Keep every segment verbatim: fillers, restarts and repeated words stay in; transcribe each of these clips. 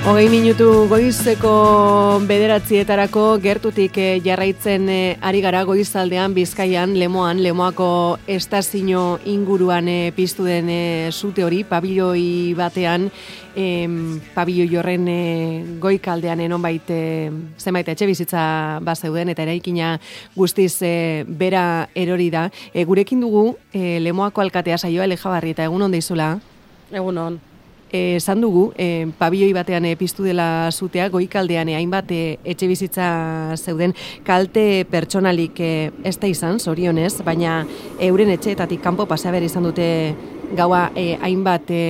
Hogei minutu goizeko bederatzietarako gertutik jarraitzen ari gara goizaldean Bizkaian, Lemoan, Lemoako estazio inguruan piztu den sute hori, pabilloi batean, em, pabilloi horren goikaldean nonbait zenbait etxe bizitza bazeuden eta eraikina guztiz e, bera erori da. E, gurekin dugu e, Lemoako alkatea Saioa Elejabarrieta, egun on deizula? Egun on. Esan dugu, e, pabilloi batean e, piztu dela zutea, goikaldean e, hainbat e, etxe bizitza zeuden, kalte pertsonalik e, ez da izan, zorionez, baina euren etxeetatik kanpo pasea behar izan dute gaua e, hainbat e,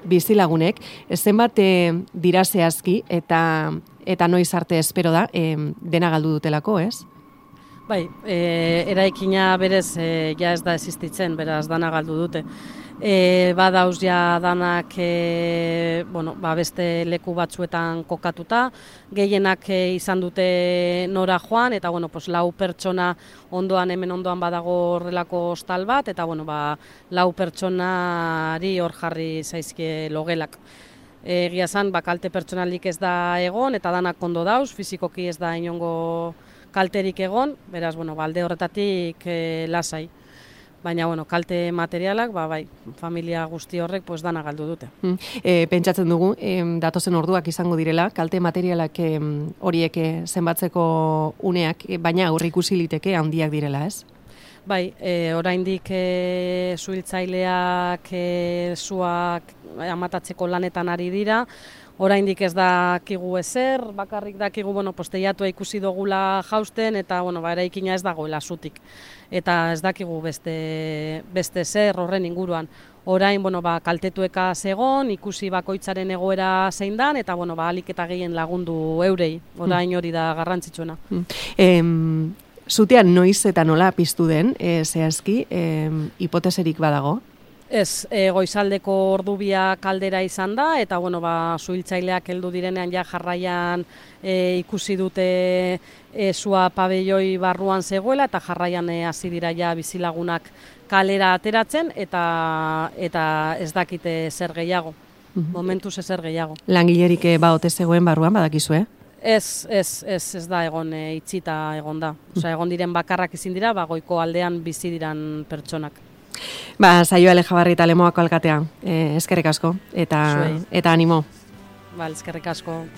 bizilagunek, zenbat e, dira zehazki eta, eta noiz arte espero da, e, dena galdu dutelako, ez? Bai, e, eraikina berez e, ja ez da existitzen, beraz dana galdu dute. E, badauz ja danak e, bueno, ba beste leku batzuetan kokatuta, gehienak e, izan dute nora joan, eta bueno, pues, lau pertsona ondoan, hemen ondoan badago horrelako hostal bat, eta bueno, ba, lau pertsonari hor jarri zaizkie logelak. Egia esan, ba, kalte pertsonalik ez da egon, eta danak ondo dauz, fizikoki ez da inongo kalterik egon, beraz, bueno, ba, alde horretatik e, lasai. Baina, bueno, kalte materialak, ba, bai, familia guzti horrek, pues, dana galdu dute. Mm. E, pentsatzen dugu, e, datozen orduak izango direla, kalte materialak e, horiek e, zenbatzeko uneak, e, baina aurreikusi liteke handiak direla, ez? Bai, e, oraindik e, suhiltzaileak e, suak amatatzeko lanetan ari dira, oraindik ez dakigu ezer, bakarrik dakigu, bueno, posteiatua ikusi dugula jausten, eta, bueno, ba, eraikina ez dagoela zutik. Eta ez dakigu beste, beste zer horren inguruan. Orain, bueno, ba, kaltetueka zegon, ikusi bakoitzaren egoera zein dan, eta, bueno, ba, alik eta gehien lagundu eurei, orain hori da garrantzitsuena. Mm. Em, zutean noiz eta nola piztu den, e, zehazki, em, hipoteserik badago? Ez, e, goizaldeko ordubia kaldera izan da, eta bueno, ba, suhiltzaileak heldu direnean ja jarraian e, ikusi dute e, sua pabelloi barruan zegoela, eta jarraian e, hasi dira ja bizilagunak kalera ateratzen, eta eta ez dakite zer gehiago. Mm-hmm. Momentuz ezer gehiago. Langilerik ba ote zegoen barruan badakizue? Ez, ez, ez, ez da egon e, itxita egon da. Osea, egon diren bakarrak izin dira, ba, goiko aldean bizi diran pertsonak. Ba, Saioa Elejabarrieta Lemoako alkatea, e, eskerrik asko, eta, eta animo. Ba, eskerrik asko.